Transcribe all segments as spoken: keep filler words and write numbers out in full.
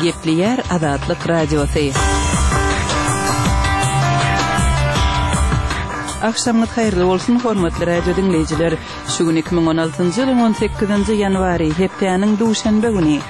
Gepleýär Azatlyk Radiosy. Agşamyňyz haýyrly bolsun, hormatly radio diňleýjiler! Şu gün iki müň on altynjy ýylyň on sekizinji ýanwary, hepdäniň duşenbe güni.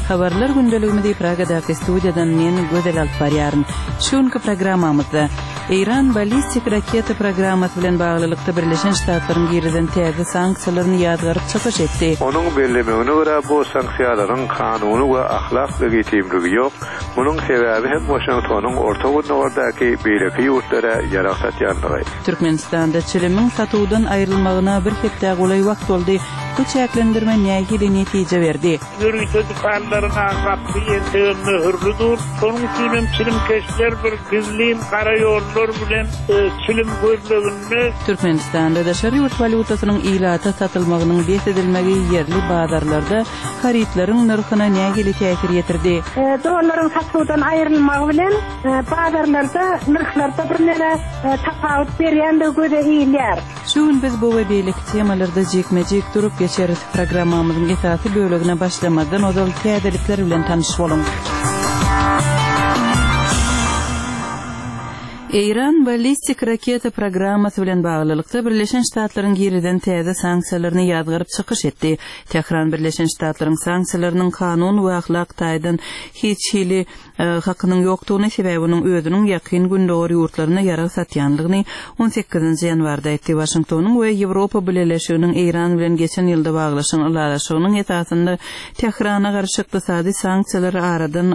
Habarlar gündeligimizi Pragadaky studiýadan men Gözel alyp barýaryn. Şu günki programmamyzda Eýran ballistik raketa programmasy bilen baglylykda Birleşen Ştatlaryň girizen täze sanksiýalaryny ýazgaryp çykyş etdi. Onuň bellemegine görä, bu sanksiýalaryň kanuny we ahlak legitimligi ýok, munuň sebäbi hem Waşingtonyň Orta Gündogardaky beýleki ýurtlara ýarag satýanlygy. Türkmenistanda çilimiň satuwdan aýrylmagyna bir hepdä golaý wagt boldy. Bu çäklendirme nähili netije berdi? Ýörite dükanlaryň gapysy entegem möhürli dur. Şonuň üçin hem çilimkeşler bir gizlin gara ýollar bilen çilim gözleginde. Türkmenistanda daşary ýurt walýutasynyň ilata satylmagynyň bes edilmegi ýerli bazarlarda harytlaryň nyrhyna nähili täsir ýetirdi? Dollaryň satuwdan aýrylmagy bilen bazarlarda nyrhlarda birneme tapawut berýändigi göze ilýär. Şu gün biz bu we beýleki temalarda jikme-jik durup geçeris. Programmamyzyň esasy bölegine başlamazdan ozal täzelikler bilen tanyş boluň. Eýran ballistik raketa programmasy bilen baglylykda Birleşen Ştatlaryň girizen täze sanksiýalaryny ýazgaryp çykyş etdi. Tähran Birleşen Ştatlaryň sanksiýalarynyň kanun we ahlak taýdan hiç hili hakynyň ýokdugyny, sebäbi onuň özüniň Ýakyn Gündogar ýurtlaryna ýarag satýanlygyny on sekizinji ýanwarda aýtdy. Waşingtonyň we Ýewropa Bileleşiginiň Eýran bilen geçen ýylda baglaşan ylalaşygynyň esasynda Tährana garşy ykdysady sanksiýalary aradan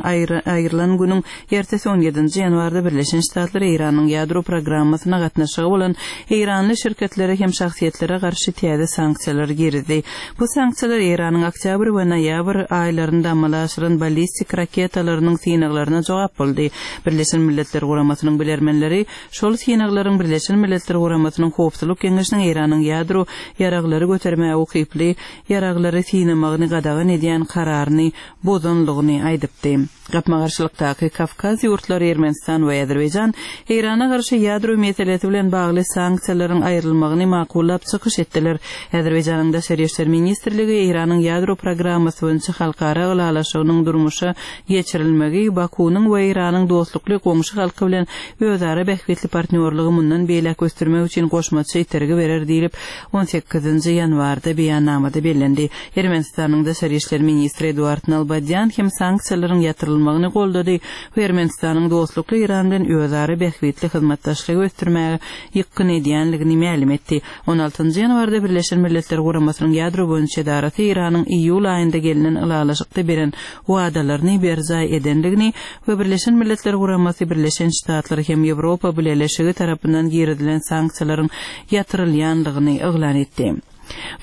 aýrylan günüň ertesi on ýedinji ýanwarda Birleşen Ştatlar Eýranyň ýadro programmasyna gatnaşygy bolan eýranly şirketlere hem şahsyýetlere garşy täze sanksiýalary girizdi. Bu sanksiýalar Eýranyň oktýabr we noýabr aýlarynda amala aşyran ballistik raketalarynyň synaglaryna jogap boldy. Birleşen Milletler Guramasynyň bilermenleri şol synaglaryň Birleşen Milletler Guramasynyň Howpsuzlyk Geňeşiniň Eýranyň ýadro ýaraglary götermäge ukyply ýaraglary synamagyny gadagan edýän kararyny bozanlygyny aýdypdy. Gapma-garşylykdaky Kawkaz ýurtlary Ermenistan we Azerbaýjan Eýrana garşy ýadro meselesi bilen bagly sanksiýalaryň aýrylmagyny makullap çykyş etdiler. Azerbaýjanyň Daşary işler ministrligi Eýranyň ýadro programmasy boýunça halkara ylalaşygynyň durmuşa geçirilmegi Bakunyň we Eýranyň dostlukly goňşy halky bilen özara bähbitli partnýorlygy mundan beýläk ösdürmek üçin goşmaça itergi berer diýlip on sekizinji ýanwarda beýannamada bellendi. Ermenistanyň Daşary işler ministri Eduard Nalbadýan hem sanksiýalaryň ýatyrylmagyny goldady we Ermenistanyň dostlukly Eýran bilen özara bähbitli hyzmatdaşlygy ösdürmäge ýykgyn edýänligini mälim etdi. on altynjy ýanwarda Birleşen Milletler Guramasynyň ýadro boýunça edarasy Eýranyň iýul aýynda gelinen ylalaşykda beren wadalaryny berjaý edenligini we Birleşen Milletler Guramasy Birleşen Ştatlar hem Ýewropa Bileleşigi tarapyndan girizilen sanksiýalaryň ýatyrylýanlygyny yglan etdi.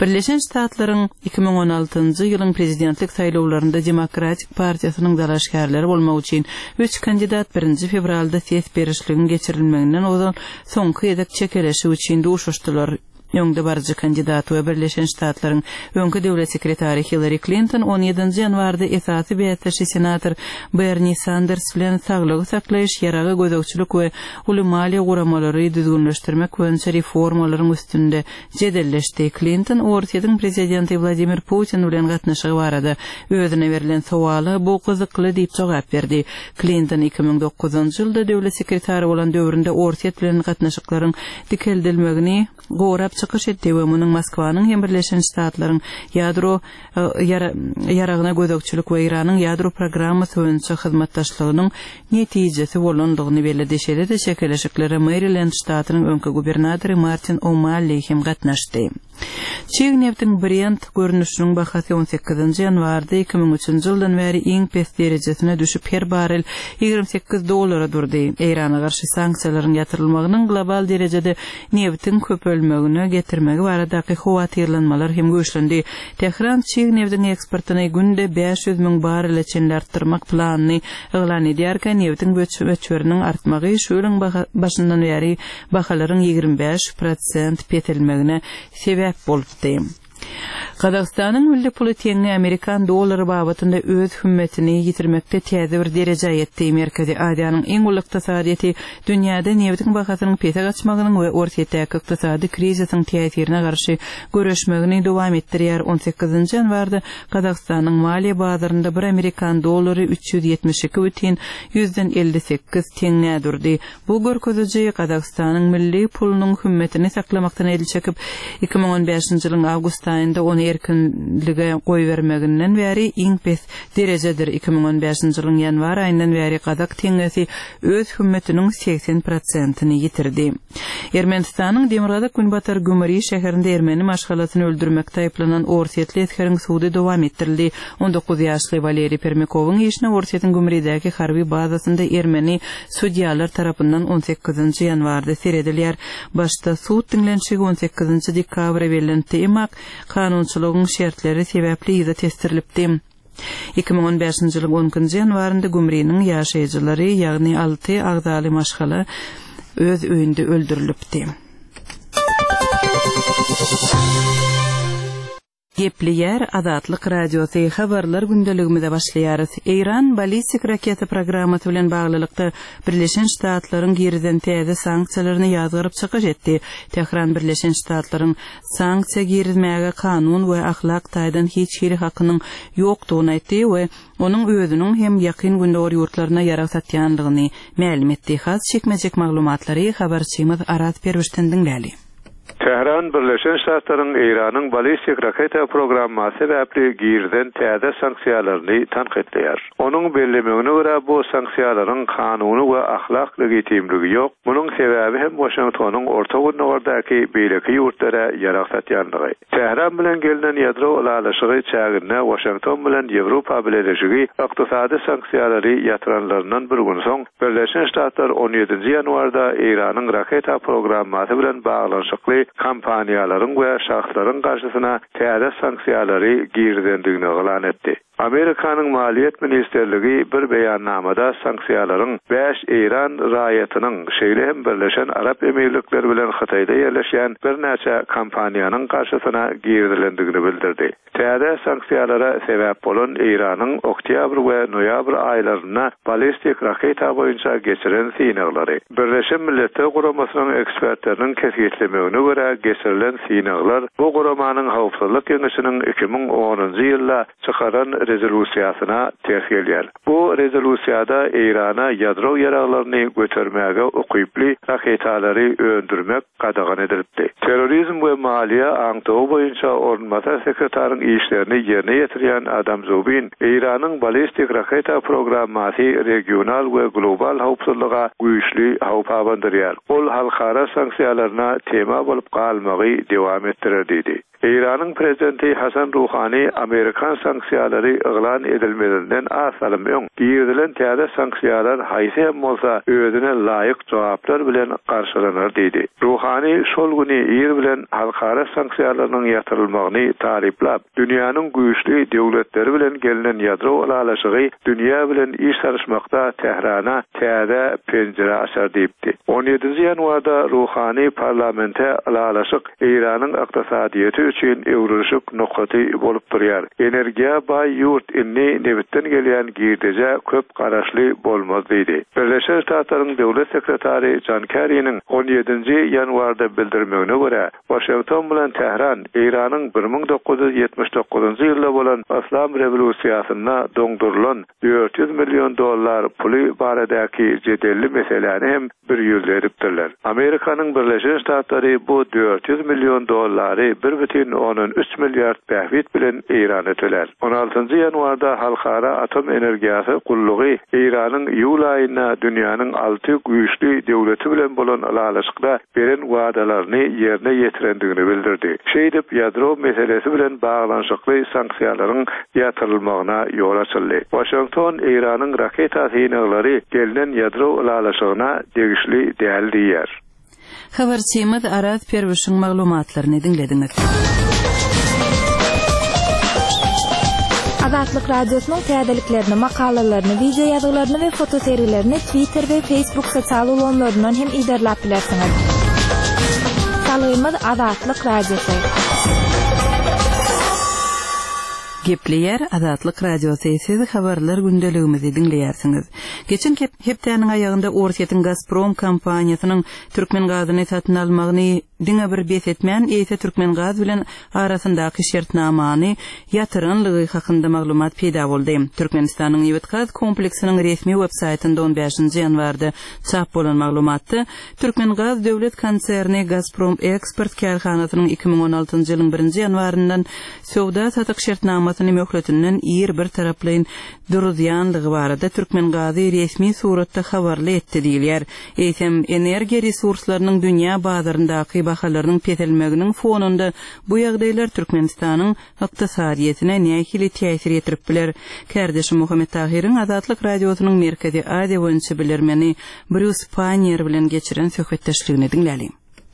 Birleşen Ştatlaryň iki müň on altynjy ýylyň prezidentlik saýlawlarynda Demokratik partiýasynyň dalaşgärleri bolmak üçin üç kandidat birinji fewralda ses berişligiň geçirilmeginden ozal soňky gezek çekeleşik üçin duşuşdylar. Öňde baryjy kandidat we Birleşen Ştatlaryň öňki döwlet sekretary Hillary Clinton on ýedinji ýanwarda esasy bäsdeşi senator Bernie Sanders bilen saglygy saklaýyş, ýaragy gözegçilik we uly maliýe guramalary düzgünleşdirmek boýunça reformalaryň üstünde jedelleşdi. Clinton Orsýetiň prezidenti Wladimir Putin bilen gatnaşygy barada özüne berlen sowala bu gyzykly diýip jogap berdi. Clinton iki müň dokuzynjy ýylda döwlet sekretary bolan döwründe Orsýet bilen gatnaşyklaryň dikeldilmegini gorap çykyş etdi we munuň Moskwanyň hem Birleşen Ştatlaryň ýadro ýaragyna gözegçilik we Eýranyň ýadro programmasy boýunça hyzmatdaşlygynyň netijesi bolandygyny belledi. Şeýle-de çekeleşiklere Maryland ştatynyň öňki gubernatory Martin O'Malley hem gatnaşdy. Çig neftiň Brent görnüşiniň bahasy on sekizinji ýanwarda iki müň üçünji ýyldan bäri iň pes derejesine düşüp her barel ýigrimi sekiz dollara durdy. Eýrana garşy sanksiýalaryň ýatyrylmagynyň global derejede neftiň köpelmegine getirmegi baradaky howatyrlanmalar hem güýçlendi. Tähran çig neftiň eksportyny günde bäş ýüz müň barele çenli artdyrmak planyny yglan edýärkä neftiň möçberiniň artmagy şu ýylyň başyndan bäri bahalaryň ýigrimi bäş prosent peselmegine sebäp bolupdy. Gazagystanyň milli puly teňňe amerikan dollary babatynda öz hümmetini ýitirmekde täze bir derejä ýetdi. Merkezi Aziýanyň iň uly ykdysadyýeti dünýäde nebitiň bahasynyň pese gaçmagynyň we Orsýetdäki ykdysady krizisiň täsirine garşy göreşmegini dowam etdirýär. On sekizinji ýanwarda Gazagystanyň maliýe bazarynda bir amerikan dollary üç ýüz ýetmiş iki bütin ýüzden elli sekiz teňňä durdy. Bu görkeziji Gazagystanyň milli pulunyň hümmetini saklamakdan el çekip, iki müň on bäşinji ýylyň awgust aýynda ony erkinlige goýbermeginden bäri iň pes derejedir. Iki müň on bäşinji ýylyň ýanwar aýyndan bäri gazak teňňesi öz hümmetiniň segsen prosentini ýitirdi. Ermenistanyň demirgazyk günbatar Gümri şäherinde ermeni maşgalasyny öldürmekde aýyplanan orsýetli esgeriň sudy dowam etdirildi. On dokuz ýaşly Waleriý Permikowyň işine Orsýetiň Gümridäki harby bazasynda ermeni sudýalar tarapyndan on sekizinji ýanwarda seredilýär. Başda sud diňlenişigi on sekizinji dekabra bellenipdi, emma kanunçylygyň şertleri sebäpli yza tesdirilipdi. Iki müň on bäşinji ýylyň on ikinji ýanwarynda Gümriniň ýaşaýjylary, ýagny alty agzaly maşgala öz öýünde öldürilipdi. Gepleýär Azatlyk Radiosy habarlar gündeligimize başlaýarys. Eýran ballistik raketa programmasy bilen baglylykda Birleşen Ştatlaryň girizen täze sanksiýalaryny ýazgaryp çykyş etdi. Tehran Birleşen Ştatlaryň sanksiýa girizmäge kanun we ahlak taýdan hiç hili hakynyň ýokdugyny aýtdy we onuň özüniň hem ýakyn gündogar ýurtlaryna ýarag satýanlygyny mälim etdi. Has çekmejek maglumatlary habarçymyz Araz Perwişden diňläli. Tehran Birleşen Ştatlaryň Eýranyň ballistik raketa programmasy sebäpli girizen täze sanksiýalaryny tankytlaýar. Onuň bellemegine görä bu sanksiýalaryň kanuny we ahlak legitimligi ýok. Munuň sebäbi hem Washingtonyň Orta Gündogardaki beýleki ýurtlara ýarag satýanlygy. Tehran bilen gelinen ýadro ylalaşygy çäginde Washington bilen Ýewropa Bileleşigi ykdysady sanksiýalary ýatyranlaryndan bir gün soň Birleşen Ştatlar on ýedinji ýanwarda Eýranyň raketa programmasy bilen baglanyşykly kompaniýalaryň we şahslaryň garşysyna täze sanksiýalary girizendigini yglan etdi. Amerikanyň Maliýet Ministerligi bir beýannamada sanksiýalaryň bäş Eýran raýatynyň, şeýle hem Birleşen Arap Emirlikleri bilen Hytaýda ýerleşýän birnäçe kompaniýanyň garşysyna girizilendigini bildirdi. Täze sanksiýalara sebäp bolan Eýranyň oktýabr we noýabr aýlarynda ballistik raketa boýunça geçiren synaglary. Birleşen Milletler Guramasynyň ekspertleriniň kesgitlemegine görä geçirilen synaglar bu guramanyň howpsuzlyk geňeşiniň iki müň onunjy ýylda çykaran rezolýusiýasyna ters gelýär. Bu rezolýusiýada Eýrana ýadro ýaraglaryny götermäge ukyply raketalary öndürmek gadagan edilipdi. Terrorizm we maliýe aňtawy boýunça orunbasar sekretaryň işlerini ýerine ýetirýän Adam Zubin Eýranyň ballistik raketa programmasy regional we global howpsuzlyga güýçli howp abandyrýar. Ol halkara sanksiýalaryna tema bolup galmagy dowam etdirer diýdi. Eýranyň prezidenti Hasan Ruhani Amerikan sanksiýalary yglan edilmezinden az salym öň girizilen täze sanksiýalar haýsy hem bolsa özüne laýyk jogaplar bilen garşylanar diýdi. Ruhani şol güni ir bilen halkara sanksiýalarynyň ýatyrylmagyny taryplap, dünýäniň güýçli döwletleri bilen gelinen ýadro ylalaşygy dünýä bilen iş salyşmakda Tehrana täze penjire açar diýipdi. on ýedinji ýanwarda Ruhani parlamente ylalaşyk Eýranyň ykdysadyýeti üçin öwrülişik nokaty bolup durýar. Energiýa baý ýurt indi nebitden gelýän girdeje köp garaşly bolmaz diýdi. Birleşen Ştatlaryň döwlet sekretary John Kerry'niň on ýedinji ýanwarda bildirmegine görä, Washington bilen Tehran Eýranyň bir müň dokuz ýüz ýetmiş dokuzynjy ýylda bolan Yslam rewolýusiýasynda doňdurylan dört ýüz million dollar puly baradaky jedelli meseläni hem bir ýüzle edipdirler. Amerikanyň Birleşen Ştatlary bu dört ýüz million dollary bir bütin ondan üç milliard bähbit bilen Eýrana töler. on altynjy ýanwarda Halkara Atom Energiýasy gullugy Eýranyň iýul aýynda dünýäniň alty güýçli döwleti bilen bolan ylalaşykda beren wadalaryny ýerine ýetirendigini bildirdi. Şeýdip ýadro meselesi bilen baglanyşykly sanksiýalaryň ýatyrylmagyna ýol açyldy. Washington Eýranyň raketa synaglary gelinen ýadro ylalaşygyna degişli däl diýer. Habarçymyz Araz Perwişiň maglumatlaryny diňlediňiz. Azatlyk Radiosynyň täzeliklerini, makalalaryny, video ýazgylaryny we fotosergilerini Twitter we Facebook sosial ulgamlaryndan hem iderläp bilersiňiz. Salgymyz Azatlyk Radiosy. Gepleýär Azatlyk Radiosy, siz habarlar gündeligimizi diňleýärsiňiz. Geçen hepdäniň aýagynda Orsýetiň Gazprom kompaniýasynyň türkmen gazyny satyn almagyny diňe bir bes etmän, eýse Türkmengaz bilen arasyndaky şertnamany ýatyranlygy hakynda maglumat peýda boldy. Türkmenistanyň nebit-gaz kompleksiniň resmi web saýtynda on bäşinji ýanwarda çap bolan maglumatda Türkmengaz döwlet konserni Gazprom Eksport kärhanasynyň iki müň on altynjy ýylyň birinji ýanwaryndan söwda-satyk şertnamasyny möhletinden ir bir taraplaýyn duruzýanlygy barada Türkmengazy resmi suratda habarly etdi diýilýär. Eýsem, energiýa resurslarynyň dünýä bazaryndaky bahalarynyň peselmeginiň fonunda bu ýagdaýlar Türkmenistanyň ykdysadyýetine nähili täsir ýetirip biler? Kärdeşim Muhammet Tahyryň Azatlyk Radiosynyň Merkezi Aziýa boýunça bilermeni Brýus Panniýer bilen geçiren söhbetdeşligini diňläliň.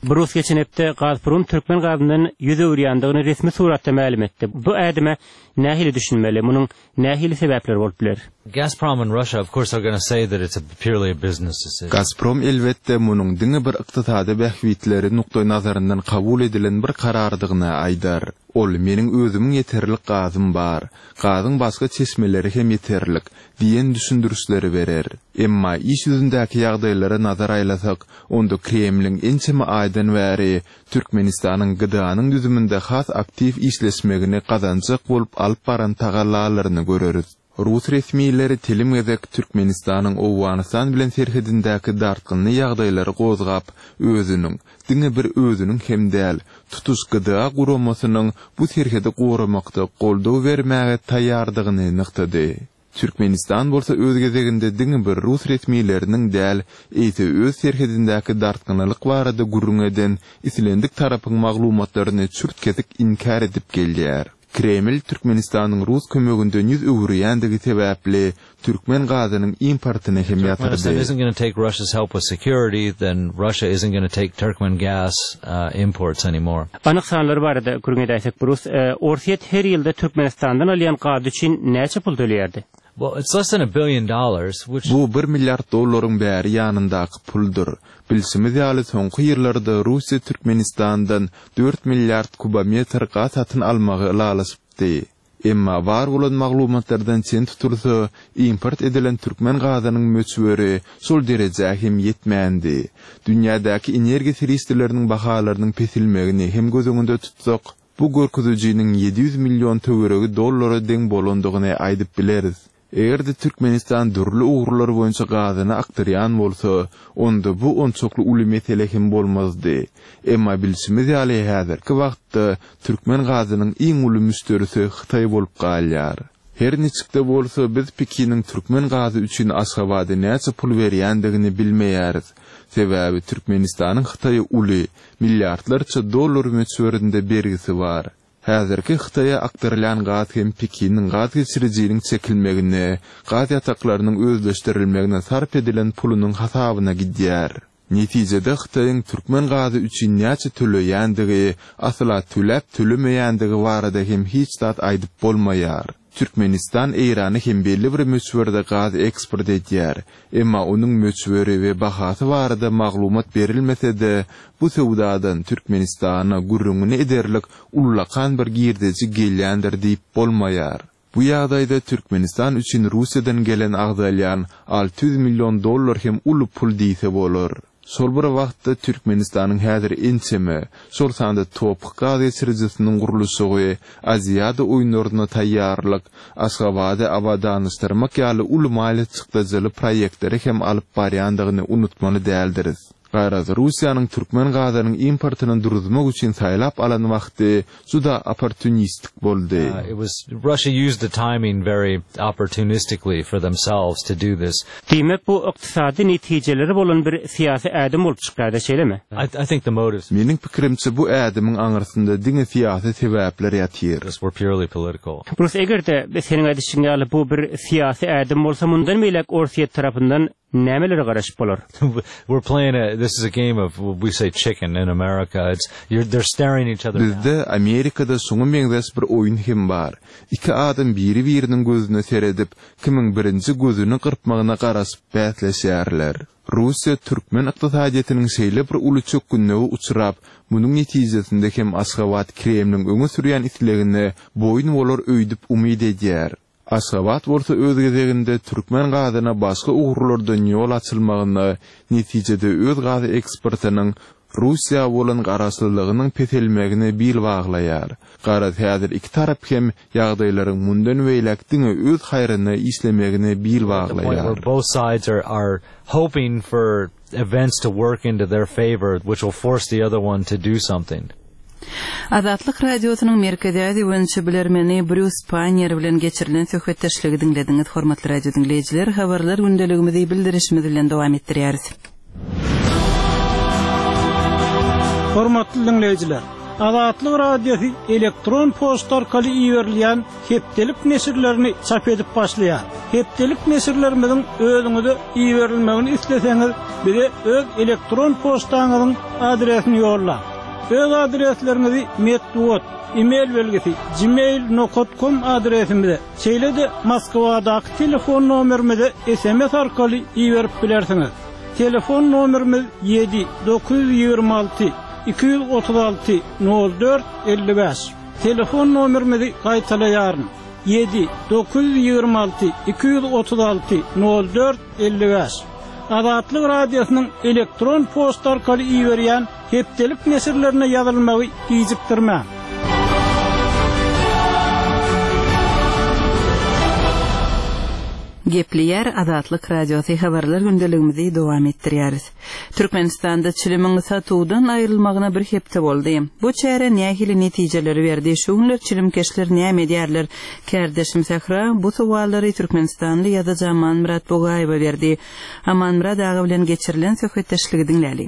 Brus geçen hepde Gazprom türkmen gazyndan ýüz öwürýändigini resmi suratda mälim etdi. Bu ädime nähili düşünmeli? Munuň nähili sebäpleri bolup biler? Gazprom and Russia of course are gonna say that it's a purely a business decision. Gazprom elbetde munuň diňe bir ykdysady bähbitleri nukdaýnazaryndan kabul edilen bir karardygyny aýdar. Ol meniň özümiň ýeterlik gazym bar, gazyň başga çeşmeleri hem ýeterlik diýen düşündirişleri berer. Emma iş ýüzündäki ýagdaýlara nazar aýlasak, onda Kremliň ençeme aýdan bäri Türkmenistanyň G D A'nyň düzüminde has aktiw işleşmegini gazanjak bolup alyp baran tagallalaryny göreris. Rus resmileri telim gezek Türkmenistanyň Owganystan bilen serhedindäki dartgynly ýagdaýlary gozgap, özüniň, diňe bir özüniň hem däl, tutuş G D A guramasynyň bu serhedi goramakda goldaw bermäge taýýardygyny nygtady. Türkmenistan bolsa öz gezeginde diňe bir rus resmileriniň däl, eýse öz serhedindäki dartgynlyk barada gürrüň eden islendik tarapyň maglumatlaryny çürt-kesik inkär edip gelýär. Kreml Türkmenistanyň rus kömeginden ýüz öwürýändigi sebäpli türkmen gazynyň importyny hem Turkmenistan ýatyrdy. Isn't gonna take Russia's help with security, then Russia isn't gonna take Turkmen gas uh, imports anymore. Anyk sanlar barada gürrüň edäýsek, Brus, e, Orsýet her ýylda Türkmenistandan alýan gaz üçin näçe pul töleýärdi? Well, it's less than a billion dollars, which Bu bir milliard dollaryň bäri ýanyndaky puldur. Bilşimiz ýaly soňky ýyllarda Russiýa Türkmenistandan dört milliard kubometr gaz satyn almagy ylalaşypdy. Emma bar bolan maglumatlardan çen tutulsa, import edilen türkmen gazynyň möçberi şol derejä hem ýetmändi. Dünýädäki energiýa serişdeleriniň bahalarynyň pesilmegini hem göz öňünde tutsak, bu görkezijiniň ýedi ýüz million töweregi dollara deň bolandygyny aýdyp bileris. Eger-de Türkmenistan dürli ugurlar boýunça gazyny akdyrýan bolsa, onda bu onçakly uly mesele hem bolmazdy. Emma bilşimiz ýaly häzirki wagtda türkmen gazynyň iň uly müşderisi Hytaý bolup galýar. Her niçikde bolsa biz Pekiniň türkmen gazy üçin Aşgabada näçe pul berýändigini bilmeýäris. Sebäbi Türkmenistanyň Hytaýa uly, milliardlarça dollar möçberinde bergisi bar. Häzirki Hytaýa akdyrylýan gaz hem Pekiniň gaz geçirijiniň çekilmegine, gaz ýataklarynyň özleşdirilmegine sarp edilen pulunyň hasabyna gidýär. Netijede Hytaýyň türkmen gazy üçin näçe töleýändigi, asla töläp tölemeýändigi barada hem hiç zat aýdyp bolmaýar. Türkmenistan Eýrana hem belli bir möçberde gaz eksport edýär. Emma onuň möçberi we bahasy barada maglumat berilmese-de, bu söwdadan Türkmenistana gürrüňini ederlik ullakan bir girdeji gelýändir diýip bolmaýar. Bu ýagdaýda Türkmenistan üçin Russiýadan gelen agzalýan alty ýüz million dollar hem uly pul diýse bolar. Şol bir wagtda Türkmenistanyň häzir ençeme, şol sanda topuk gaz geçirijisiniň gurluşygy, Aziada oýunlaryna taýýarlyk, Aşgabady abadanlaşdyrmak ýaly uly maliýe çykdajyly proýektleri hem alyp barýandygyny unutmaly däldiris. Garaz, Russiýanyň türkmen gazynyň importyny duruzmak üçin saýlap alan wagty juda opportunistik boldy. Uh, it was Russia used the timing very opportunistically for themselves to do this. Diýmek bu ykdysady netijeleri bolan bir syýasy ädim bolup çykýar, şeýlemi? I, I think the motives Meniň pikirimçe bu ädimiň aňyrsynda diňe syýasy sebäpler ýatyr. Were purely political. Brus, eger-de seniň aýdyşyň ýaly bu bir syýasy ädim bolsa, mundan beýläk Orsýet tarapyndan nämelere garaşyp bolar? We're playing a this is a game of, we say, chicken in America. It's you're they're staring each other down. Bizde Amerikada şoňa meňzeş bir oýun hem bar. Iki adam biri-biriniň gözüne seredip, kimiň birinji gözüni gyrpmagyna garaşyp bäsleşýärler. Russiýa türkmen ykdysadyýetiniň şeýle bir uly çökgünlige uçrap, munuň netijesinde hem Aşgabat Kremliň öňe sürýän islegine boýun bolar öýdüp umyt edýär. Aşgabat bolsa öz gezeginde türkmen gazyna başga ugurlardan ýol açylmagyna, netijede öz gaz eksportynyň Russiýa bolan garaşlylygynyň peselmegine bil baglaýar. Garaz häzir iki tarap hem ýagdaýlaryň mundan beýläk diňe öz haýryna işlemegine bil baglaýar. Both sides are are hoping for events to work into their favor, which will force the other one to do something. Azatlyk Radiosynyň Merkezi Aziýa boýunça bilermeni Brýus Panniýer bilen geçirilen söhbetdeşligi diňlediňiz. Hormatly radio diňleýjiler, habarlar gündeligimizi bildirişimiz bilen dowam etdirýäris. Hormatly diňleýjiler, Azatlyk Radiosy elektron poçta arkaly iberilýän hepdelik neşirlerini çap edip başlaýar. Hepdelik neşirlerimiziň özüňize iberilmegini isleseňiz, bize öz elektron poçtaňyzyň adresini ýollaň. Öz adresleriňizi metbugat, e-mail belgisi gmail nokta com adresimize, şeýle-de Moskwadaky telefon nomerimize S M S arkaly iberip bilersiňiz. Telefon nomerimiz ýedi dokuz ýüz ýigrimi alty iki ýüz otuz alty nol dört elli bäş. Telefon nomerimizi gaýtalaýaryn. ýedi dokuz ýüz ýigrimi alty iki ýüz otuz alty nol dört elli bäş. Azatlyk Radiosynyň elektron poçta arkaly iberýän hepdelik neşirlerine ýazylmagy gijikdirmäň. Gepleýär Azatlyk Radiosy, habarlar gündeligimizi dowam etdirýäris. Türkmenistanda çilimiň satuwdan aýrylmagyna bir hepde boldy. Bu çäre nähili netijeleri berdi? Şu günler çilimkeşler näme edýärler? Kärdeşim Sähra bu sowallary Türkmenistanly ýazyjy Amanmyrat Bugaýewe berdi. Amanmyrat aga bilen geçirilen söhbetdeşligi diňläli.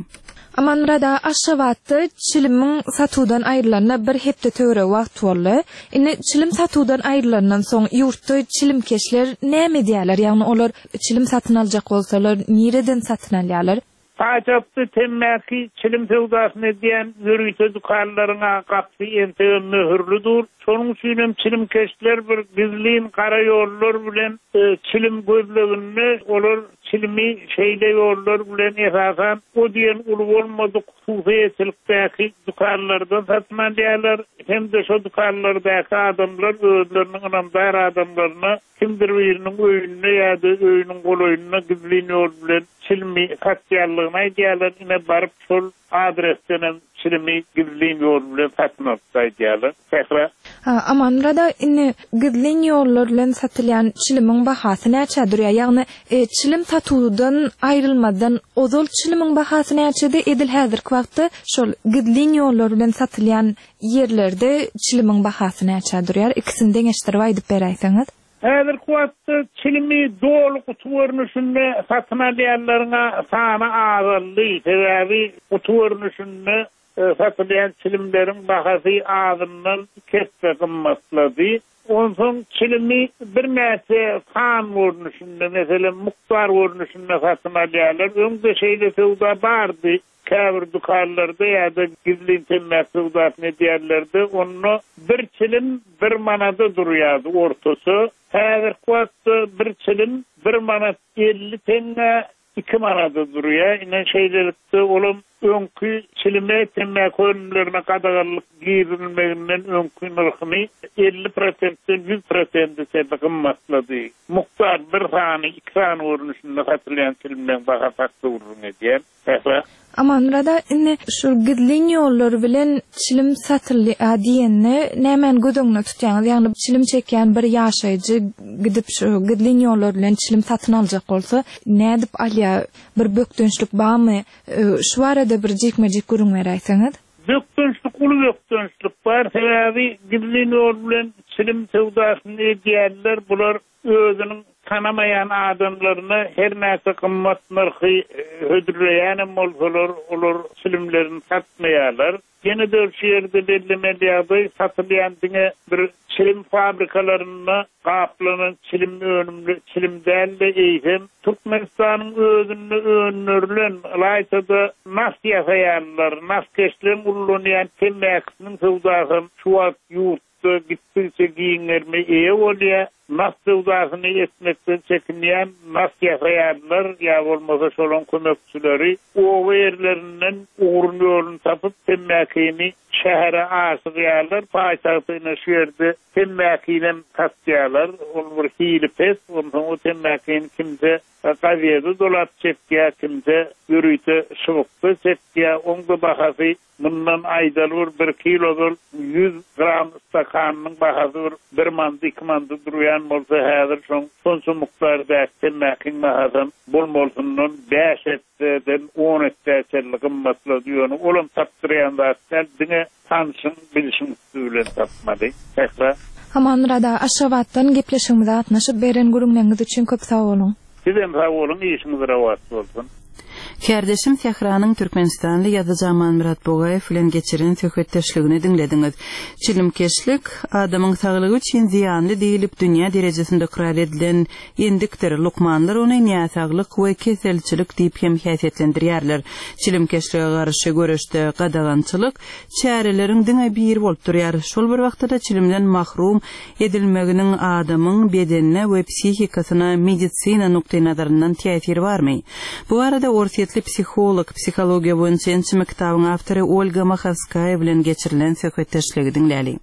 Amanmyrat aga, Aşgabatda çilimiň satuwdan aýrylanyna bir hepde töweregi wagt boldy. Indi çilim satuwdan aýrylandan soň ýurtda çilimkeşler näme edýärler? Ýagny olar çilim satyn aljak bolsalar, nireden satyn alýarlar? Paýtagtda temmäki çilim söwdasyny edýän ýörite dükanlaryň gapysy entegem möhürli dur. Şonuň üçin hem çilimkeşler bir gizlin gara ýollar bilen e, çilim gözleginde, olar çilimi şeýle ýollar bilen esasan o diýen uly bolmadyk hususyýetçilikdäki dükanlardan satyn alýarlar. Hem-de şo dükanlardaky adamlar özleriniň ynamdar adamlaryna kimdir biriniň öýünde ýa-da öýüniň golaýynda gizlin ýol bilen çilimi satýanlygyny aýdýarlar. Ine baryp şol adresden hem çilimi gizlin ýol bilen satyn alyp aýdýarlar. Sähra. Ha, Amanmyrat aga, indi gizlin ýollar bilen satylýan çilimiň bahasy näçe durýar? Ýagny e, çilim satuwdan aýrylmadan ozal çilimiň bahasy näçedi? Edil häzirki wagtda şol gizlin ýollar bilen satylýan ýerlerde çilimiň bahasy näçe durýar? Ikisini deňeşdirip aýdyp beräýseňiz. Häzirki wagtda çilimi doly guty görnüşinde satyn alýanlaryň sany azaldy. Sebäbi guty görnüşinde e, satylýan çilimleriň bahasy azyndan iki esse gymmatlady. Onsoň çilimi birnäçe san görnüşinde, meselem mukdar görnüşinde satyn alýarlar. Öňde şeýle söwda bardy. Käbir dükanlarda ýa-da gizlin temmäki söwdasyny edýärlerdi. Onda bir çilim bir manada durýardy ortaça. Häzirki wagtda bir çilim bir manat elli teňňe, iki manada durýar. Ine şeýlelikde olam öňki çilime, temmäki önümlerine gadaganlyk girizilmeginden öňki nyrhyny elli prosentden ýüz prosente çenli gymmatlady. Mukdar bir sany, iki sany görnüşinde satylýan çilimleň bahasy hakda gürrüň edýän. Sähra. Amanmyrat aga, indi şu gizlin ýollar bilen çilim satylýar diýende nämäni göz öňüne tutýaňyz? Ýagny çilim çekýän bir ýaşaýjy gidip şu gizlin ýollar bilen çilim satyn aljak bolsa, nädip alýar? Bir bökdençlik barmy? E, Şu barada bir jikme-jik gürrüň beräýseňiz. Bökdençlik, uly bökdençlik bar. Sebäbi gizlin ýol bilen çilim söwdasyny edýärler. Bular özüniň tanamaýan adamlaryna her näçe gymmat nyrhy e, hödürleýänem bolsalar, olar çilimlerini satmaýarlar. Ýene de şu ýerde bellemeli ýagdaý, satylýan diňe bir çilim fabrikalarynda gaplanan çilim önümli çilim däl-de, eýsem Türkmenistanyň özünde öndürilen, ylaýta-da nas ýasaýanlar, naskeşleň ullanýan temmäkisiniň söwdasy şu wagt ýurtda ýurtda gitdikçe giň gerime eýe bolýar. Nas söwdasyny etmekden çekinýän nas ýasaýanlar ýa bolmasa şolaň kömekçileri oba ýerlerinden ugrun ýoluny tapyp temmäkini şähere aşyrýarlar. Paýtagtyna şu ýerde temmäkinem satýarlar. Ol bir hili pes, onsoň o temmäkini kimse gazete dolap çekýär, kimse ýörite şybykda çekýär. Oň da bahasy mundan aýdaly bir bir kilodol ýüz gram stakanynyň bahasy bir bir mandy, iki mandy durýan bolsa häzir şoň şonça mukdardaky temmäkiň bahasam bolmalysyndan bäş esseden on esse çenli gymmatlady. Ýöne olam tapdyrýan zat däl, diňe tanşyň, bilşiň üsti bilen tapmaly. Sähra. Amanmyrat aga, Aşgabatdan gepleşigimize gatnaşyp beren gürrüňleriňiz üçin köp sag boluň. Sizem sag boluň, işiňiz rahat bolsun. Kärdeşim Sähranyň Türkmenistanly ýazyjy Amanmyrat Bugaýew bilen geçiren söhbetdeşligini diňlediňiz. Çilimkeşlik adamyň saglygy üçin zyýanly diýlip dünýä derejesinde ykrar edilen endikdir. Lukmanlar ony näsaglyk we keselçilik diýip hem häsiýetlendirýärler. Çilimkeşlige garşy göreşde gadagançylyk çäreleriň diňe biri bolup durýar. Şol bir wagtda çilimden mahrum edilmeginiň adamyň bedenine we psihikasyna medisina nukdaýnazaryndan täsiri barmy? Bu arada Orsýetli psiholog, psihologiýa boýunça ençeme kitabyň awtory Olga Mahowskaýa bilen geçirilen söhbetdeşligi diňläli.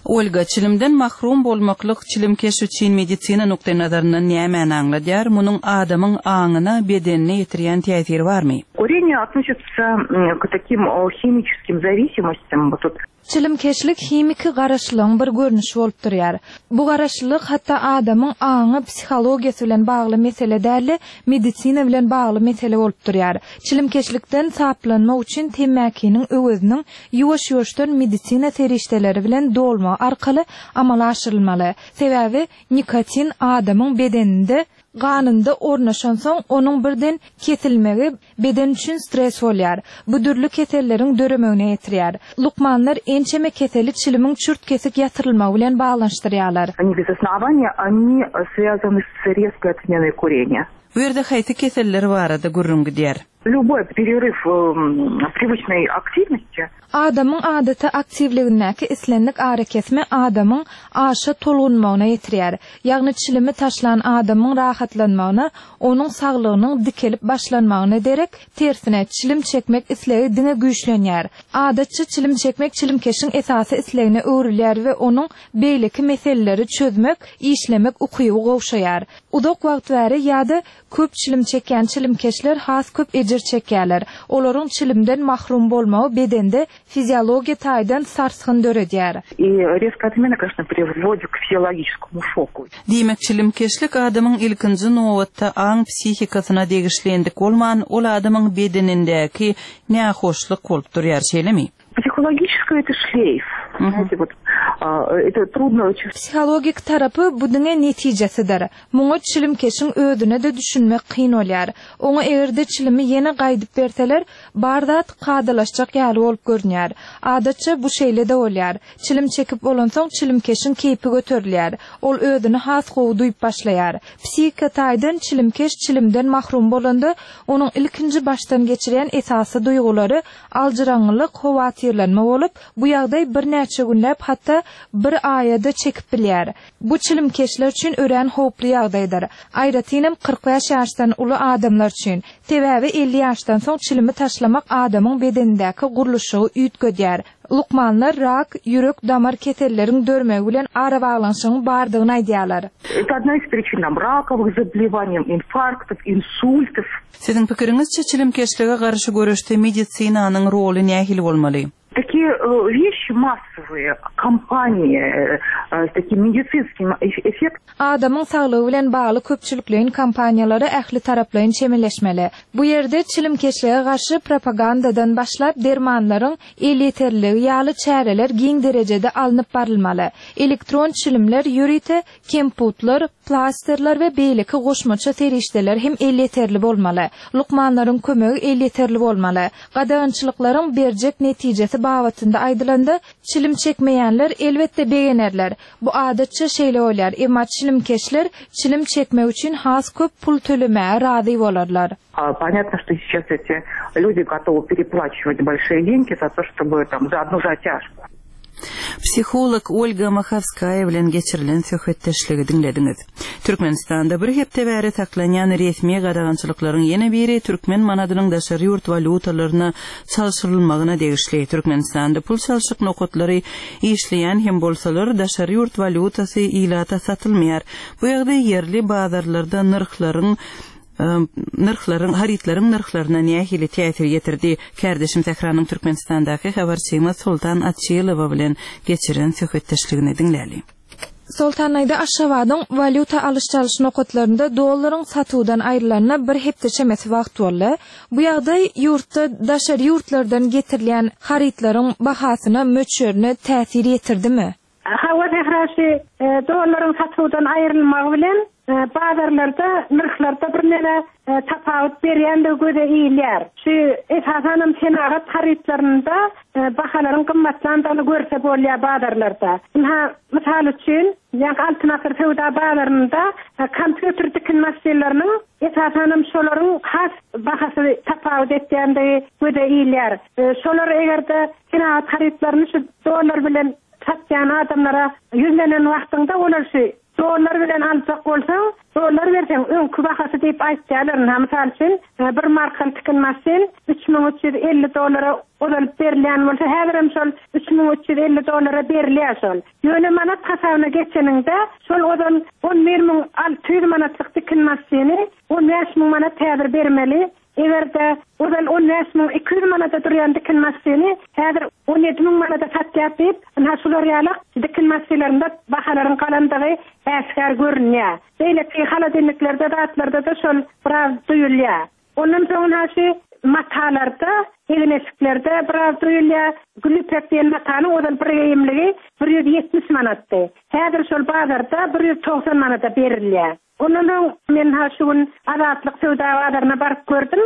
Olga, çilimden mahrum bolmaklyk çilimkeş üçin medisina nukdaýnazaryndan nämäni aňladýar? Munuň adamyň aňyna, bedenine ýetirýän täsiri barmy? Курение относится, м, к таким, о, химическим зависимостям. Вот тут Çilimkeşlik himiki garaşlygyň bir görnüşi bolup durýar. Bu garaşlyk hatda adamyň aňy, psihologiýasy bilen bagly mesele däl, medisina bilen bagly mesele bolup durýar. Çilimkeşlikden saplanmak üçin temmäkiniň öweziniň ýuwaş-ýuwaşdan medisina serişdeleri bilen dolma arkaly amala aşyrylmaly. Sebäbi nikotin adamyň bedeninde ganynda ornaşansoň onuň birden kesilmegi beden üçin stres bolýar. Bu dürli keselleriň döremegine ýetirýär. Lukmanlar ençeme keseli çilimiň çürt kesik ýatyrylmagy bilen baglanyşdyrýarlar. Они без основания, они связаны с резкой отменой курения. Bu ýerde haýsy keseller barada gürrüň gidýär? Любой перерыв, эм, привычной активности. Adamyň adaty aktiwligindäki islendik arakesme adamyň aşa tolgunmagyna ýetirýär. Ýagny çilimi taşlan adamyň rahatlanmagyna, onuň saglygynyň dikelip başlanmagyna derek tersine çilim çekmek islegi diňe güýçlenýär. Adatça çilim çekmek çilimkeşiň esasy islegine öwrülýär we onuň beýleki meseleleri çözmek, işlemek ukyby gowşaýar. Uzak wagt bäri ýa-da köp çilim çekýän çilimkeşler has köp ejir çekýärler. Olaryň çilimden mahrum bolmagy bedende fiziologiýa taýdan sarsgyn döredýär. И резкая отмена, конечно, приводит к физиологическому шоку. Diýmek çilimkeşlik adamyň ilkinji nobatda aň psihikasyna degişli endik bolman, ol adamyň bedenindäki nähoşluk bolup durýar, şeýlemi? Психологическое это шлейф. Мгм. Знаете, вот, а, это трудно очень Psihologik tarapy bu diňe netijesidir. Muňa çilimkeşiň özüne de düşünmek kyn bolýar. Oňa egerde çilimi ýene gaýdyp berseler, bar zat kadalaşjak ýaly bolup görünýär. Adatça bu şeýle de bolýar. Çilim çekip bolansoň çilimkeşiň keýpi göterilýär. Ol özüni has gowy duýup başlaýar. Psihika taýdan çilimkeş çilimden mahrum bolanda, onuň ilkinji başdan geçirýän esasy duýgulary aljyraňňylyk, howatyrlanma bolup, bu ýagdaý birnäçe günläp hatda bir aýada çekip bilýär. Bu çilimkeşler üçin örän howply ýagdaýdyr. Aýratynam kyrk bäş ýaşdan uly adamlar üçin. Sebäbi elli ýaşdan soň çilimi taşlamak adamyň bedenindäki gurluşygy üýtgedýär. Lukmanlar rak, ýürek damar keselleriň dörmegi bilen arabaglanyşygyň bardygyny aýdýarlar. Это одна из причин там, раковых заболеваний, инфарктов, инсультов. Siziň pikiriňizçe çilimkeşlige garşy göreşde medisinanyň roly nähili bolmaly? Такие, э, вещи массовые, кампании, э, э, с таким медицинским эф-, эффектом. Adamyň saglygy bilen bagly köpçülikleýin kampaniýalara ähli taraplaýyn çemeleşmeli. Bu ýerde çilimkeşlige garşy propagandadan başlap dermanlaryň elýeterliligi ýaly çäreler giň derejede alnyp barylmaly. Elektron çilimler, ýörite kemputlar, plasterler we beýleki goşmaça serişdeler hem elýeterli bolmaly. Lukmanlaryň kömegi elýeterli bolmaly. Gadagançylyklaryň berjek netijesi babatynda aýdylanda çilim çekmeýänler elbetde begenerler. Bu adatça şeýle bolýar. Emma çilimkeşler çilim çekmek üçin has köp pul tölemäge razy bolarlar. А, понятно, что сейчас эти люди готовы переплачивать большие деньги за то, чтобы там за одну затяжку. Psiholog Olga Mahowskaýa bilen geçirilen söhbetdeşligi diňlediňiz. Türkmenistanda bir hepde bäri saklanýan resmi gadagançylyklaryň ýene biri türkmen manadynyň daşary ýurt walýutalaryna çalşyrylmagyna degişli. Türkmenistanda pul çalşyk nokatlary işleýän hem bolsalar, daşary ýurt walýutasy ilata satylmaýar. Bu ýagdaý ýerli bazarlarda nyrhlaryň nyrhlaryň harytlaryň nyrhlaryna nähili täsir ýetirdi? Kärdeşim Sähranyň Türkmenistandaky habarçymyz Soltan Açylowa bilen geçiren söhbetdeşligini diňläli. Soltan aýda Aşgabadyň walýuta alyş-çalyş nokatlarynda dollaryň satuwdan aýrylanyna bir hepde çemesi wagt boldy. Bu ýagdaý ýurtda daşary ýurtlardan getirilýän harytlaryň bahasyna, möçberine täsir ýetirdimi? Hawa Sähra şu dollaryň satuwdan aýrylmagy bilen bazarlarda nyrhlarda birneme tapawut berýändigi göze ilýär. Şu esasanam senagat harytlarynda bahalaryň gymmatlandygyny görse bolýar bazarlarda. Ynha, mysal üçin, ýa Altyn Asyr söwda bazarynda kompýuter dikin maşynlarynyň esasanam şolaryň has bahasy tapawut etýändigi göze ilýär. Şolar egerde senagat harytlaryny şu dollar bilen satýan adamlara ýüzlenen wagtynda olar şu dollar bilen aljak bolsaň, dollar berseň öňkü bahasy diýip aýtýarlar. Ynha, mysal üçin, bir markaly tikin maşyn üç müň üç ýüz elli dollara ozalyp berilýän bolsa, häzirem şol üç müň üç ýüz elli dollara berilýär şol. Ýöne manat hasabyna geçeninde şol ozal on bir müň alty ýüz manatlyk tikin maşyny on bäş müň manat häzir bermeli. Egerde ozal on bäş müň iki ýüz manata durýan dikin maşyny häzir on ýedi müň manata satýar diýip, ynha şular ýaly dikin maşynlarynda bahalaryň galandygy äşgär görünýär. Beýleki holodilniklerde, zatlarda da şol biraz duýulýar. Ondan soň ynha şu matalarda, egin-eşiklerde biraz duýulýar. Gülüpek diýen matanyň ozal bir geýimligi bir ýüz ýetmiş manatdy. Häzir şol bazarda bir ýüz togsan manata berilýär. Ondan soň men ha şu gün Azatlyk söwda bazaryna baryp gördüm.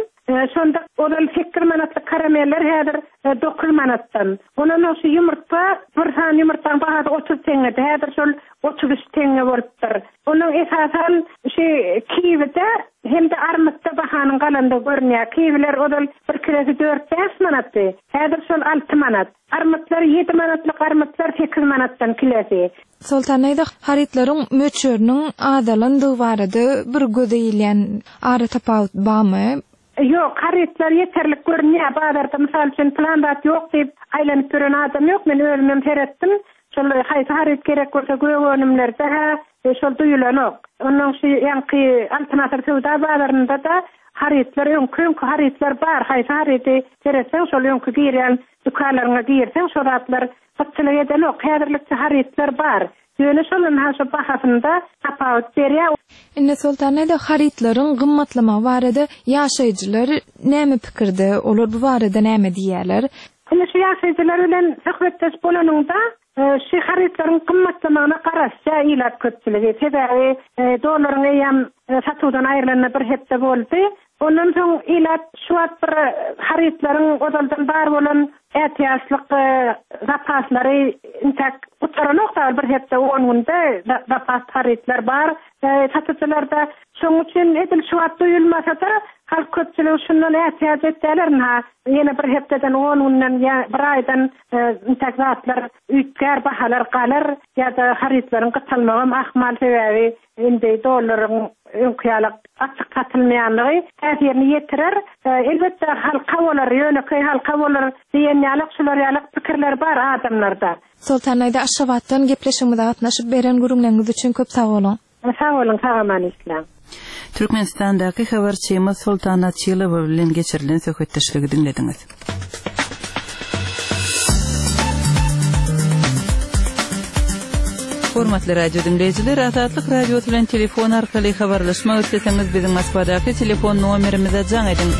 Şonda ozal sekiz manatlyk karameller häzir dokuz manatdan. Ondan soň şu ýumurtga, bir sany ýumurtgaň bahasy otuz teňňedi. Häzir şol otuz üç teňňe bolupdyr. Onuň esasan şu kiwide hem-de armytda bahanyň galandygy görünýär. Kiwiler ozal bir kilosy dört bäş manatdy. Häzir şol alty manat. Armytlar ýedi manatlyk armytlar sekiz manatdan kilosy. Soltan aýda harytlaryň möçberiniň azalandygy barada bir göze ilýän ara tapawut barmy? Ýok, harytlar ýeterlik görünýär. Bazarda mysal üçin plan zat ýok diýip aýlanyp ýören adam ýok. Men özümem seretdim. Şol haýsy haryt gerek bolsa gök önümlerde ha, şol duýulanok. Ondan şu ýaňky Altyn Asyr söwda bazarynda da harytlar öňkü öňkü harytlar bar. Haýsy harydy seretseň şol öňkü girýän dükanlaryna girseň şol zatlar gytçylyk edenok. Häzirlikçe harytlar bar. Ýöne şol ynha şu bahasynda tapawut berýär. Indi Soltan aýda harytlaryň gymmatlamagy barada ýaşaýjylar näme pikirde, olar bu barada näme diýýärler? Indi şu ýaşaýjylar bilen söhbetdeş bolanyňda, şu harytlaryň gymmatlamagyna garaşýar ilat köpçüligi. Sebäbi, dollaryň eýýäm satuwdan aýrylanyna bir hepde boldy. Ondan soň ilat şu wagt bir harytlaryň ozaldan bar bolan ätiýaçlyk zapaslary intäk gutaranok da bir hepde on günde zapas harytlar bar. Satyjylarda şonuň üçin edil şu wagt duýulmasa-da halk köpçüligi şundan ätiýaç etýärler. Ha, ýene bir hepdeden on günden ýa bir aýdan, intäk zatlar üýtgär, bahalar galar ýa-da harytlaryň gytalmagam ahmal sebäbi indi dollaryň öňkü ýaly açyk satylmaýanlygy täsirini ýetirer. Elbetde halka bolar, ýönekeý halka bolar diýen ýaly şular ýaly pikirler bar adamlarda. Soltan aýda Aşgabatdan gepleşigimize gatnaşyp beren gürrüňleriňiz üçin köp sag boluň. Sag boluň, sag aman işläň. Türkmenistandaky habarçymyz Soltan Açylowa bilen geçirilen söhbetdeşligi diňlediňiz. Hormatly radio dinleýjiler, Azatlyk Radiosy bilen telefon arkaly habarlaşmak isleseňiz biziň Moskwadaky telefon nomerimize jaň ediň.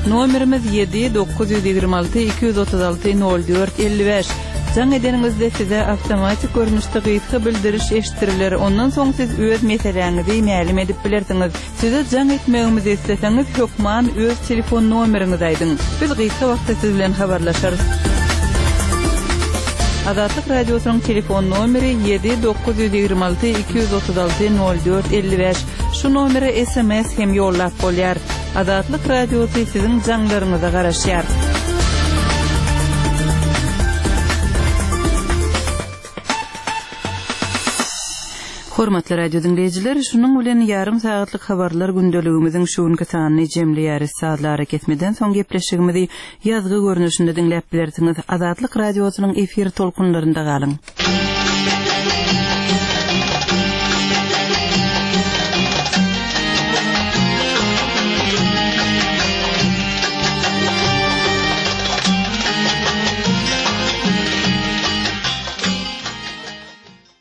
Nomerimiz ýedi dokuz ýüz ýigrimi alty iki ýüz otuz alty nol dört elli bäş. Jaň edeniňizde size awtomatik görnüşde gysga bildiriş eşitdiriler. Ondan soň siz öz meseläňizi mälim edip bilersiňiz. Size jaň etmegimizi isleseňiz hökman öz telefon nomeriňizi aýdyň. Biz gysga wagtda siz bilen habarlaşarys. Azatlyk Radiosynyň telefon nomeri ýedi dokuz ýüz ýigrimi alty iki ýüz otuz alty nol dört elli bäş. Şu nomere S M S hem ýollap bolýar. Azatlyk Radiosy siziň jaňlaryňyza garaşýar. Hormatly radio diňleýjiler, şunuň bilen ýarym sagatlyk habarlar gündeligimiziň şu günki sanyny jemleýäris. Sazly arakesmeden soň gepleşigimizi ýazgy görnüşinde diňläp bilersiňiz. Azatlyk radiosynyň efir tolkunlarynda galyň.